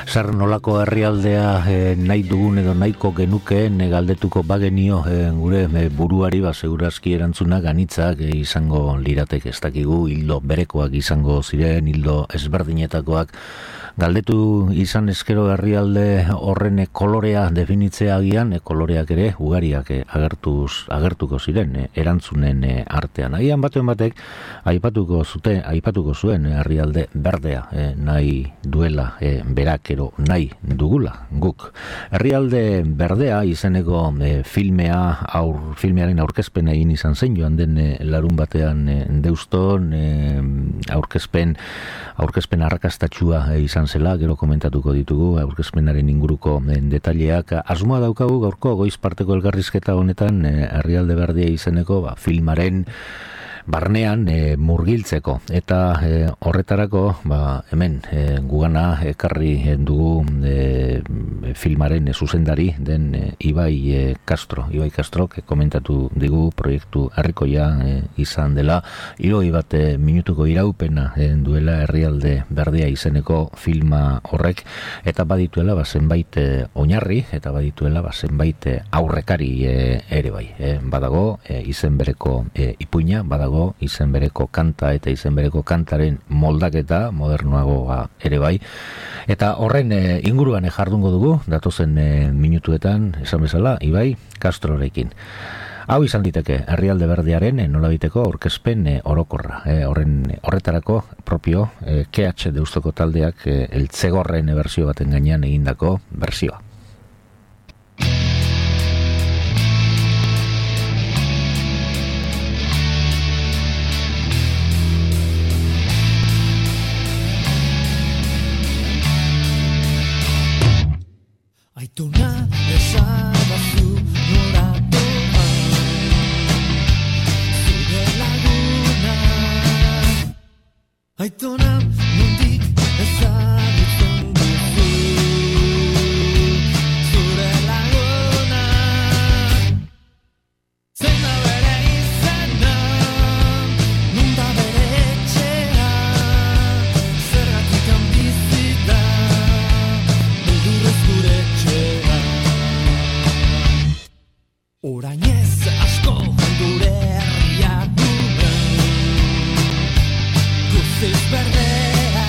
Zer nolako herrialdea nahi dugun edo nahiko genukeen galdetuko bagenio gure buruari segurazki erantzunak anitzak izango liratek, ez dakigu hildo berekoak izango ziren, hildo ezberdinetakoak. Galdetu izan eskero herrialde horren kolorea definitzea agian, koloreak ere ugariak agertuko ziren erantzunen artean. Agian batuen batek aipatuko zuen herrialde berdea nahi duela berak ero nahi dugula guk. Herrialde berdea izeneko filmearen aurkezpena egin izan zen joan den larun batean Deuston aurkezpen arrakastatsua izan zela, gero komentatuko ditugu aurkezpenaren inguruko detaileak. Asmoa daukagu gaurko goiz parteko elkarrizketa honetan herrialde berdea izeneko filmaren barnean murgiltzeko eta horretarako hemen gugana ekarri dugu filmaren zuzendari den Ibai Castro komentatu digu proiektu herrikoia izan dela, 60 minutuko iraupena duela herrialde berdea izeneko filma horrek, eta badituela zenbait oinarri eta badituela zenbait aurrekari ere bai. Badago izen bereko ipuina, badago izen bereko kanta eta izen bereko kantaren moldaketa modernoagoa ere bai. Eta horren inguruan jardungo dugu, datozen minutuetan, esan bezala, Ibai Castrorekin. Hau izan diteke herrialde berdearen nolabiteko aurkezpen orokorra. Horretarako propio KH Deustoko taldeak eltzegorren berzio baten gainean egindako berzioa. Aitona ezabazu noratoa, zure laguna. Aitona nondik ezagutzen duzu, zure laguna. Zein da bere izena, non da bere etxea, zergatik handizita, beldurrez gure etxea. Orainez asko gure herria gure, guztiz berdea.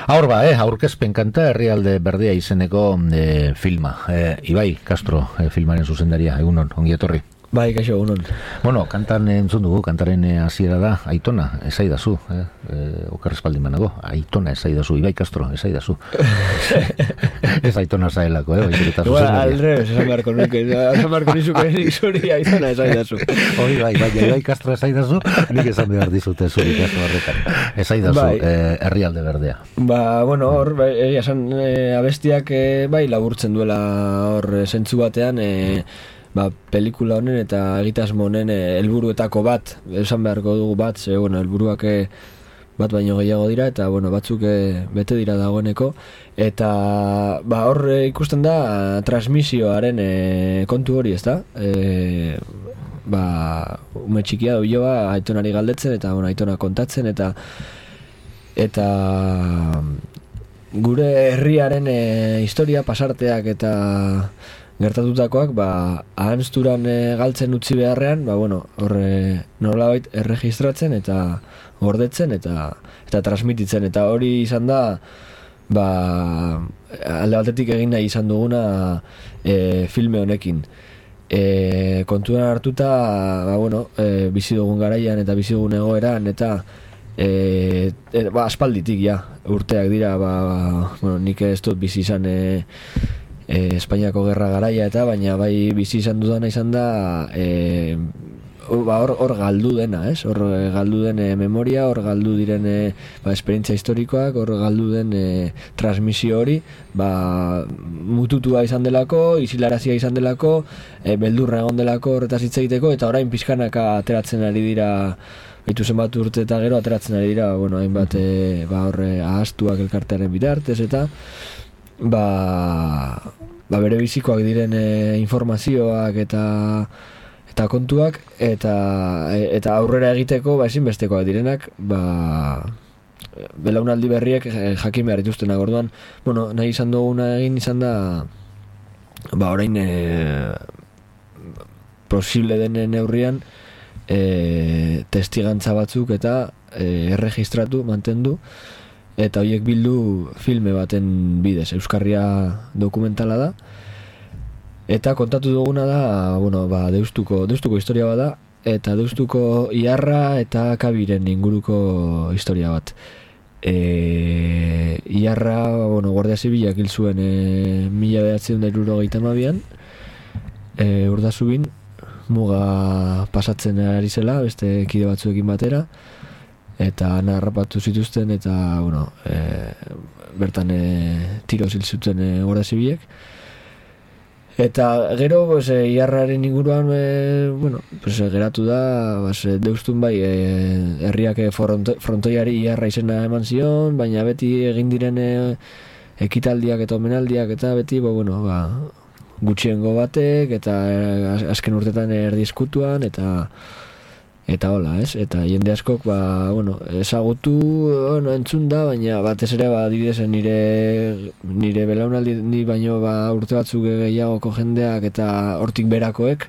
Hor ba, aurkezpen kanta Herrialde Berdea izeneko filma. Ibai Castro, filmaren zuzendaria, egunon, ongi etorri. Bai, kaixo, egunon. Bueno, kantan entzun dugu, kantaren hasiera da, Aitona, esaidazu, okar espaldin banago, Aitona esaidazu, Ibai Castro, esaidazu. Ez Aitona zaelako, baizik eta zuzendaria. Aldrebes, esan barko nizuke nik zuri Aitona esaidazu. Hori bai, Ibai Castro esaidazu, nik esan behar dizute zuri kasu horretan. Esaidazu, Herrialde Berdea. Ba, bueno, hor, esan abestiak bai laburtzen duela hor zentzu batean, pelikula honen eta egitasmo honen helburuetako bat, esan beharko dugu bat, ze, bueno, helburuak bat baino gehiago dira, eta, bueno, batzuk bete dira dagoeneko, eta, hor ikusten da transmisioaren kontu hori, ez da? Ume txikia du joa, Aitonari galdetzen, eta, bueno, Aitona kontatzen, eta gure herriaren historia, pasarteak eta gertatutakoak, ahanzturan galtzen utzi beharrean, hor nolabait erregistratzen eta gordetzen eta transmititzen, eta hori izan da alde batetik egin nahi izan duguna filme honekin. Kontuan hartuta bizi dugun garaian eta bizi dugun egoeran eta aspalditik urteak dira, nik ez dut bizi izan Espainiako gerra garaia eta baina bai bizi izan dudana izan da hor galdu dena, hor galdu den memoria, hor galdu diren esperientzia historikoak, hor galdu den transmisio hori mututua izan delako, isilarazia izan delako, beldurra egon delako horretaz hitz egiteko, eta orain pixkanaka ateratzen ari dira, baitu zenbat urte eta gero ateratzen ari dira, hainbat hor ahaztuak elkartearen bitartez eta bere bizikoak diren informazioak eta kontuak eta aurrera egiteko ezinbestekoak direnak belaunaldi berriek jakin behar dituztenak. Orduan, nahi izan duguna egin izan da orain posible den neurrian testigantza batzuk eta erregistratu, mantendu eta horiek bildu filme baten bidez. Euskarria dokumentala da, eta kontatu duguna da, Deustuko historia bada, eta Deustuko Iarra eta Kabiren inguruko historia bat. Iarra, Guardia Zibilak hil zuen 1972an, Urdazubin, muga pasatzen ari zela, beste kide batzuekin batera, eta harrapatu zituzten eta bertan tiro zil zuten Guardia Zibilek. Eta gero Iarraren inguruan geratu da Deustun bai herriak frontoiari Iarra izena eman zion, baina beti egin diren ekitaldiak eta omenaldiak eta beti gutxiengo batek eta azken urtetan erdizkutuan eta hola, eta jende askok ezagutu entzun da, baina batez ere adibidez nire belaunaldi ni baino urte batzuk gehiagoko jendeak eta hortik berakoek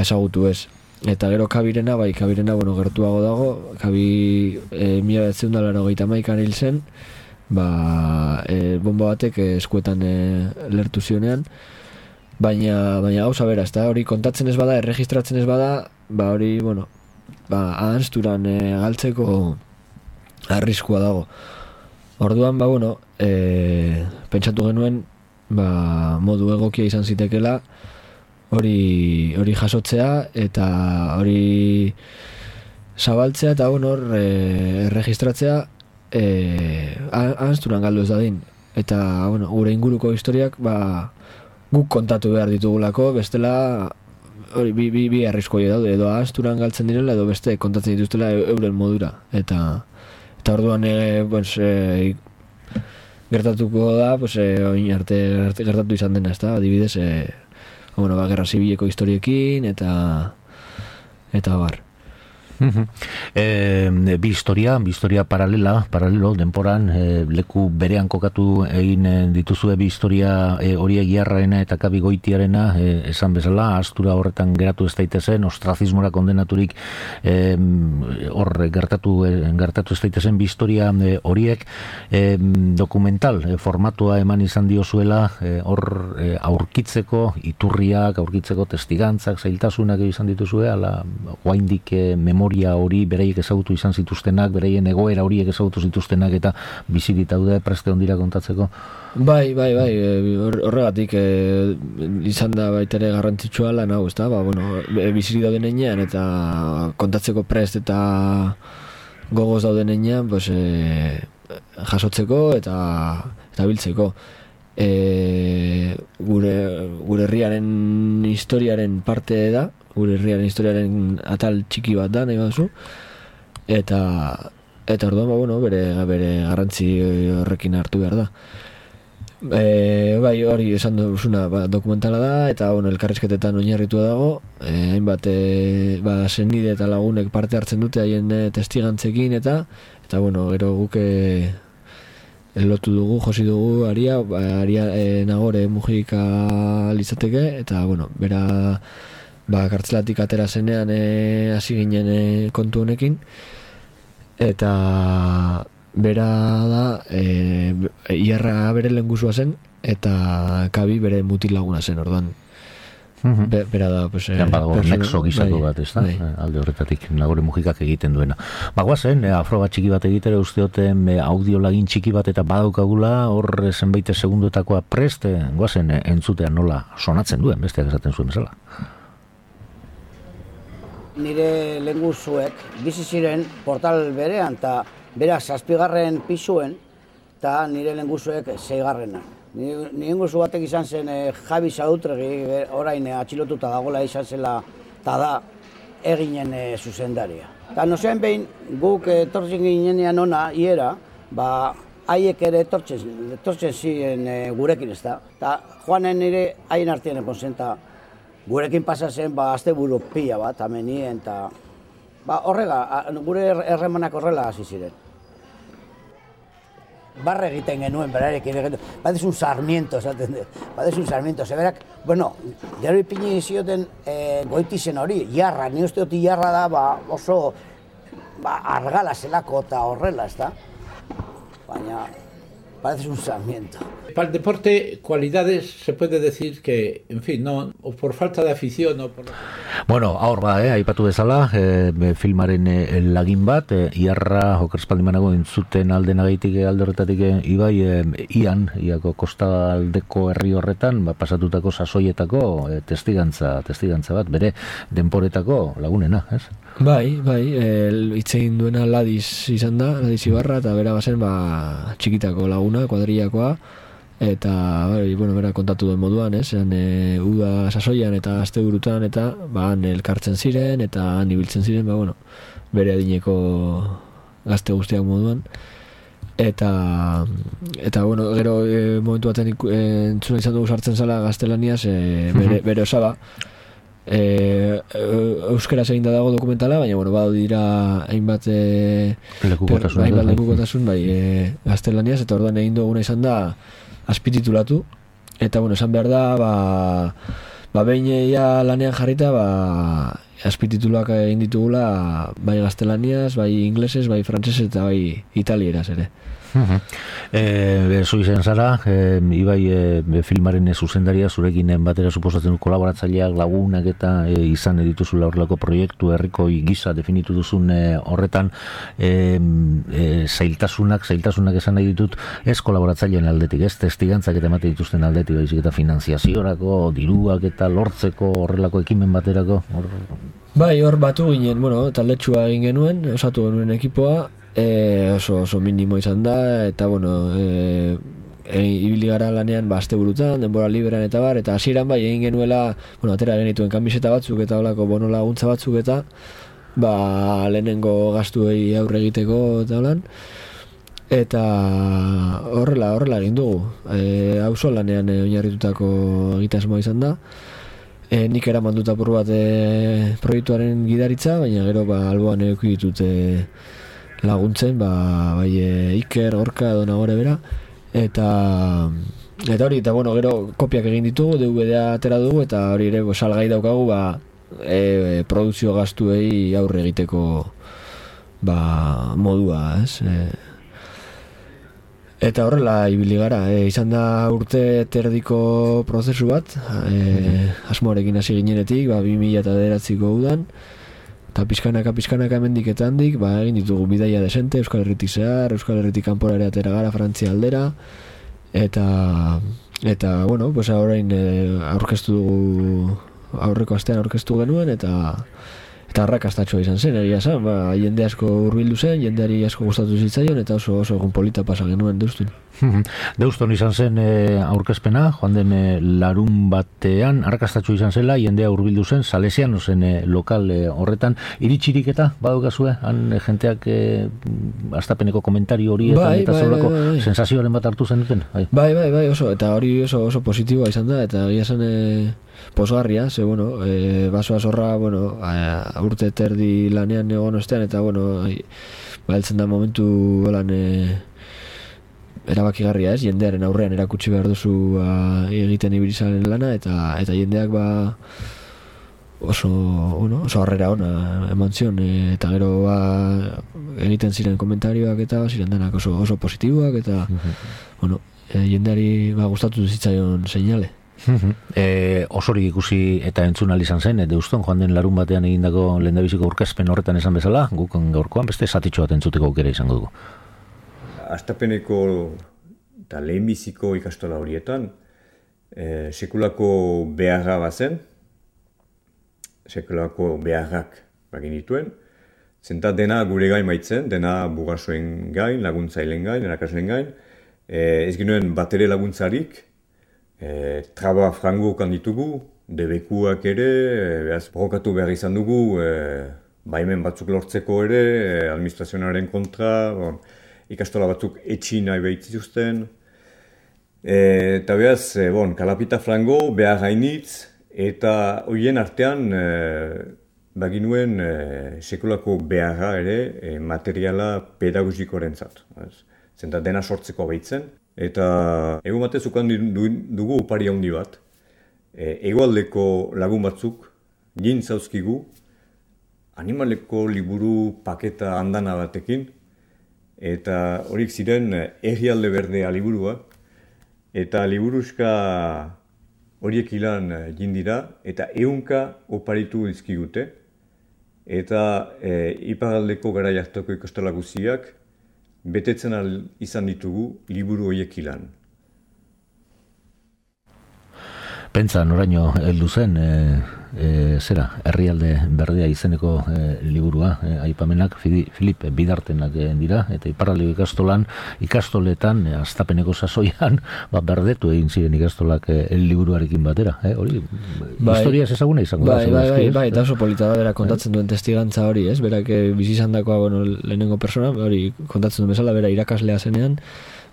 ezagutu ez. Eta gero Kabirena gertuago dago. Kabi 1981an hil zen, bomba batek eskuetan lertu zionean. Baina gauza bera, hori kontatzen ez bada, erregistratzen ez bada, hori, ahanzturan galtzeko arriskua dago. Orduan, pentsatu genuen, modu egokia izan zitekela, hori jasotzea, eta hori zabaltzea, eta erregistratzea, ahanzturan galdu ez dadin. Eta, gure inguruko historiak, guk kontatu behar ditugulako, bestela hori bi arriskoi daude, edo ahazturan galtzen direla, edo beste kontatzen dituztela euren modura. Eta orduan gertatuko da, oin arte gertatu izan dena, ez da, adibidez, Gerra Zibileko historiekin, eta bar. Bi historia paralelo denporan, leku berean kokatu egin dituzue bi historia horiek Iarraena eta Kabi Goitiarena, esan bezala, astura horretan geratu ez daitezen, ostrazismora kondenaturik hor gertatu ez daitezen bi historia horiek, dokumental formatua eman izan diozuela, hor aurkitzeko iturriak, aurkitzeko testigantzak, zailtasunak izan dituzue, ala oraindik memoria hori beraiek ezagutu izan zituztenak, beraien egoera horiek ezagutu zituztenak eta bizi ditaude preste ondira kontatzeko? Bai, horregatik izan da baita ere garrantzitsua lan hau, ezta? Biziri dauden heinean eta kontatzeko prest eta gogoz dauden heinean, jasotzeko eta biltzeko. Gure herriaren historiaren parte da, gure herriaren historiaren atal txiki bat da, nahi baduzu, eta orduan, bere garrantzi horrekin hartu behar da. Hori esan duzuna dokumentala da, eta elkarrizketetan oinarritua dago, hainbat senide eta lagunek parte hartzen dute haien testigantzekin, eta gero guk lotu dugu, josi dugu Aria Nagore Mujika litzateke, eta bera kartzelatik atera zenean hasi ginen kontu honekin, eta bera da Iarra bere lehengusua zen eta Kabi bere mutil laguna zen, orduan bera da nexo gizako bat, ez da? Alde horretatik Nagore Mujikak egiten duena. Guazen, afro bat txiki bat egitera usteoten audio lagin txiki bat eta badaukagula, hor zenbait segundotakoa prest, guazen entzutean nola sonatzen duen, besteak esaten zuen bezala. Nire lehenguzuek bizi ziren portal berean, eta berak 7. pisuen, eta nire lehenguzuek 6. Nire lehenguzu batek izan zen Javi Sautregi, orain atxilotuta dagoela izan zela, eta da eginen zuzendaria. Eta nozean behin guk etortzen ginenean ona, iera, haiek ere etortzen ziren gurekin, ez da. Eta joanen nire haien artean egon zen, eta gurekin pasa zen asteburu pila bat, amenien, eta gure erremanak horrela hasi ziren. Barre egiten genuen, berarekin, badezun Sarmiento, esaten dut, badezun Sarmiento, zeberak, gero ipini zioten Goitizen hori, Iarra, ni uste dut Iarra da oso argala zelako eta horrela, ez da? Baina, parece un Sarmiento. Para el deporte, cualidades se puede decir que, en fin, no, o por falta de afición o por... Aur aipatu bezala, filmaren lagin bat, Iarra okerspaldimanago entzuten aldenagaitik alde horretatik ibai, iako kostaldeko herri horretan, pasatutako sasoietako testigantza bat, bere denporetako lagunena, ez? Bai, itzegin duena Ladiz izan da, Ladiz Ibarra, eta bera bazen txikitako laguna, kuadrillakoa, eta bera kontatu duen moduan, uda sasoian eta asteburutan, eta han elkartzen ziren, eta han ibiltzen ziren, bere adineko gazte guztiak moduan, eta gero momentu baten entzuna izan dugu sartzen zala gaztelaniaz, bere osaba, euskeraz egin da dago dokumentala, baina badu dira hainbat lekukotasun gaztelaniaz, eta orduan egin duguna izan da azpititulatu, eta esan behar da behin lanean jarrita azpitituluak egin ditugula bai gaztelaniaz, bai inglesez, bai frantsesez eta bai italieraz ere. Zu izan zara, ibai filmaren zuzendaria, zurekin batera suposatzen du kolaboratzaileak, lagunak eta izan dituzula horrelako proiektu herriko gisa definitu duzun horretan, zailtasunak esan nahi ditut, ez kolaboratzaileen aldetik, ez testigantzak eta emate dituzten aldetik, baizik eta finanziaziorako, diruak eta lortzeko horrelako ekimen baterako? Bai, hor batu ginen, taldetxua egin genuen, osatu genuen ekipoa, oso minimo izan da, eta ibili gara lanean asteburutan, denbora liberan eta eta hasieran egin genuela, atera genituen kamiseta batzuk eta holako bono laguntza batzuk eta lehenengo gastuei aurre egiteko eta holan, eta horrela egin dugu, auzo lanean oinarritutako egitasmoa izan da, nik eraman dut apur bat proiektuaren gidaritza, baina gero alboan eduki ditut laguntzen, bai Iker, Gorka, edo nagore bera, eta hori, eta bueno, gero kopiak egin ditugu, DVD-a atera dugu, eta hori ere salgai daukagu, produzio gastuei aurre egiteko modua, ez? Eta horrela ibili gara, izan da urte terdiko prozesu bat, asmoarekin hasi ginenetik, 2009ko udan, eta pizkanaka hemendik eta handik, egin ditugu bidaia desente, Euskal Herritik zehar, Euskal Herritik kanpora ere atera gara, Frantzia aldera, eta bueno, pues orain aurkeztu dugu, aurreko astean aurkeztu genuen, eta arrakastatxoa izan zen, egia zen, jende asko hurbildu zen, jendeari asko gustatu zitzaion, eta oso egun polita pasa genuen Deustun. Deuston izan zen aurkezpena, joan den larun batean, arrakastatxoa izan zela, jendea hurbildu zen, Salesiano zen lokal horretan, iritsirik eta badukazue, han jenteak astapeneko komentario horietan eta zelako sensazioaren bat hartu zen duten? Bai, oso, eta hori oso positiboa izan da, eta egia zen posgarria, ze, bueno, basoa zorra, bueno, urte terdi lanean egon ostean, eta, bueno, heltzen da momentu lan erabakigarria, ez, jendearen aurrean erakutsi behar duzu egiten ibilizaren lana, eta jendeak oso harrera ona eman zion, eta gero egiten ziren komentarioak eta ziren denak oso positiboak, eta, bueno, jendeari gustatu zitzaion seinale. Osorik ikusi eta entzun ahal izan zen, Deuston joan den larun batean egindako lehendabiziko aurkezpen horretan esan bezala, guk gaurkoan beste zatitxo bat entzuteko aukera izango dugu. Astapeneko eta lehenbiziko ikastola horietan sekulako beharra bazen, sekulako beharrak bagin dituen, zenta dena gure gain baitzen, dena bugasoen gain, laguntzailen gain, erakaslen gain, ez ginuen batere laguntzarik, traba frango kan ditugu, debekuak ere, borrokatu behar izan dugu, baimen batzuk lortzeko ere, administrazionaren kontra, ikastola batzuk etxi nahi behitzizuzten. Eta behaz, kalapita frango, behar hainitz, eta horien artean baginuen sekulako beharra ere materiala pedagogikoren zat. Zenta dena sortzeko behitzen. Eta egun batez ukan dugu opari handi bat. Egoaldeko lagun batzuk, jintzauzkigu, animaleko liburu paketa handana batekin, eta horik ziren Herrialde Berdea liburua, eta liburuzka horiek ilan jindira, eta 100 oparitu dizkigute, eta iparaldeko garai hartako ikastola guztiak, betetzen izan ditugu liburu horiek ilan. Pentsa, noraino heldu zen, Herrialde Berdea izeneko liburua, aipamenak Filip Bidartenak dira, eta iparraldeko ikastoletan, astapeneko sasoian, berdetu egin ziren ikastolak liburuarekin batera. Hori, historiaz ezaguna izango da. Bai, eta oso polita da, bera kontatzen duen testigantza hori, ez? Berak bizizandakoa, lehenengo persona, hori kontatzen duen bezala, bera irakaslea zenean,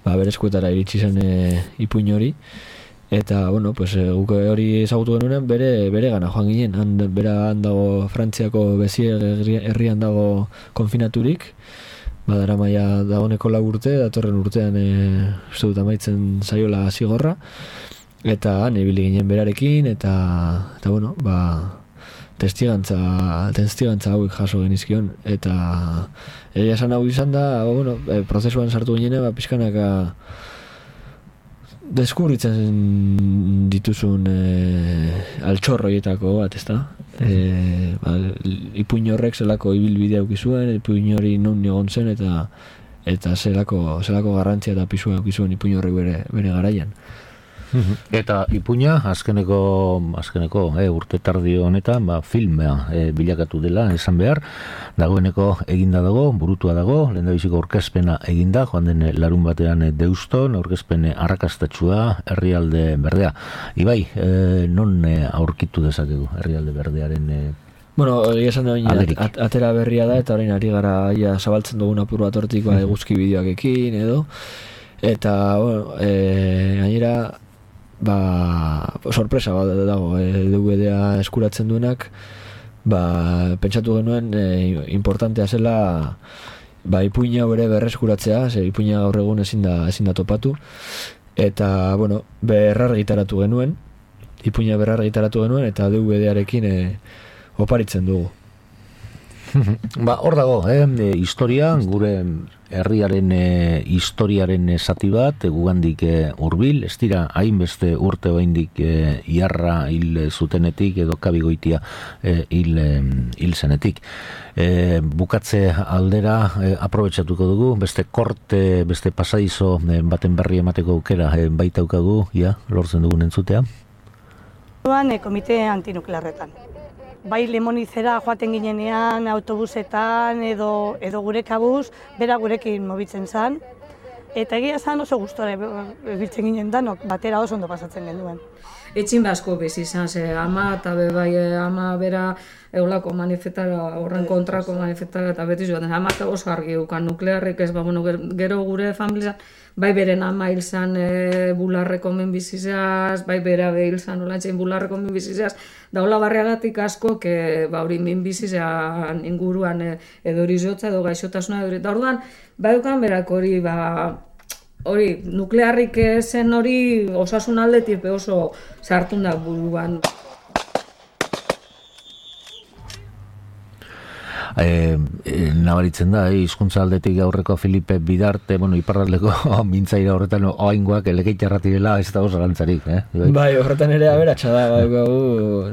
bere eskuetara iritsi zen ipuin hori. Eta, guk hori ezagutu genuenean bere gana joan ginen. Bera handago Frantziako bezi herrian dago konfinaturik. Badara maia dagoneko 4 urte, datorren urtean uste dut amaitzen zaiola zigorra. Eta han ibili ginen berarekin, eta testigantza hauek jaso genizkion. Eta egia esan hau izan da, prozesuan sartu ginen, pixkanaka deskubritzen dituzun altxorroietako bat, ezta? Ipuin horrek zelako ibilbidea ukizuen, ipuin hori non egon zen, eta zelako garrantzia eta pisua ukizuen ipuin horrek bere garaian. Eta ipuina, azkeneko urte tardi honetan, filmea bilakatu dela, esan behar, dagoeneko eginda dago, burutua dago, lehendabiziko aurkezpena eginda, joan den larun batean Deuston, aurkezpen arrakastatxua, Herrialde Berdea. Ibai, non aurkitu dezakegu Herrialde Berdearen egia esan da, atera berria da, eta orain ari gara zabaltzen dugun apur bat hortik, eguzki bideoak ekin, edo, eta, gainera, sorpresa bat dago, DVD-a eskuratzen duenak, pentsatu genuen importantea zela ipuina ere berreskuratzea, ze ipuina gaur egun ezin da topatu, eta, berrargitaratu genuen, ipuina berrargitaratu genuen, eta DVD-arekin oparitzen dugu. Hor dago, historia, gure herriaren historiaren zati bat, gugandik hurbil, ez dira hainbeste urte oraindik iarra hil zutenetik edo kabigoitia hil zenetik. Bukatze aldera aprobetxatuko dugu, beste korte, beste pasadizo baten berri emateko aukera baitaukagu, lortzen dugun entzutea. Komite antinuklearretan. Bai Lemonizera joaten ginenean, autobusetan edo gure kabuz, bera gurekin mobitzen zen. Eta egia zan oso gustora biltzen ginen danok, batera oso ondo pasatzen genuen. Etxin basko bez izan, ama eta ama bera eulako manifestara, horren kontrako manifestara eta beti joaten. Ama eta oso argi dukan nuklearrik ez, gero gure familizan, bai beren ama hil zan bularreko menbizizaz, bai bera hil zan olantzein bularreko menbizizaz, da hola barriagatik asko, hori menbizizan inguruan edo hori jotza edo gaixotasuna edo. Da orduan, bai dukan berak hori nuklearrik zen hori osasun aldetik oso sartun da buruan. Nabaritzen da, hizkuntza aldetik aurreko Filipe Bidarte, iparraldeko mintzaira horretan oaingoak elekeitarratirela ez da oso gantzarik, Bai, horretan ere aberatsa da,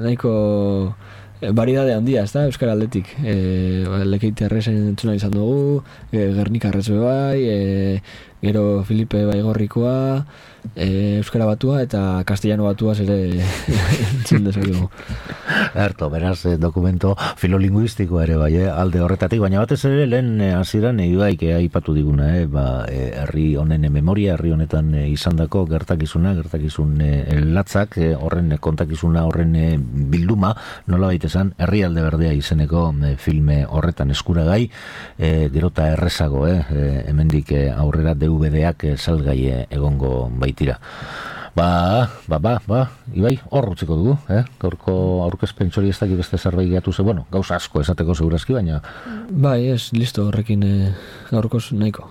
nahiko variedade handia, ez da, euskara aldetik. Lekeitarrezen entzuna izan dugu, Gernikarrez bai, gero Filipe Baigorrikoa, euskara batua eta castellano batuaz ere entzun dezakegu. Erto, beraz, dokumento filolingüistikoa ere bai, alde horretatik, baina batez ere lehen hasieran Ibaik aipatu diguna, herri honen memoria, herri honetan izandako gertakizun latzak, horren kontakizuna, horren bilduma, nolabait esan, Herrialde Berdea izeneko filme horretan eskuragai, gerota errezago, hemendik aurrera DVD-ak salgai egongo baitira. Ibai, hor utziko dugu, gaurko aurkezpen txori ez dakit beste zerbait gehiatu ze, gauza asko esateko segurazki, baina... Bai, listo, horrekin gaurkoz nahiko.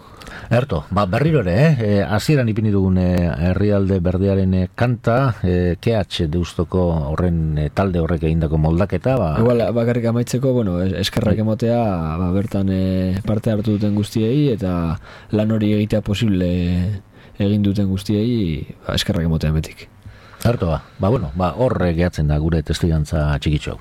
Erto, berriro ere, hasieran ipini dugun Herrialde Berdearen kanta, KH Deustoko horren talde horrek egindako moldaketa, Igual, bakarrik amaitzeko, eskerrak emotea, bertan parte hartu duten guztiei, eta lan hori egitea posible egin duten guztiei, eskerrak emotea betik. Erto, horre gehatzen da gure testigantza txikitxo.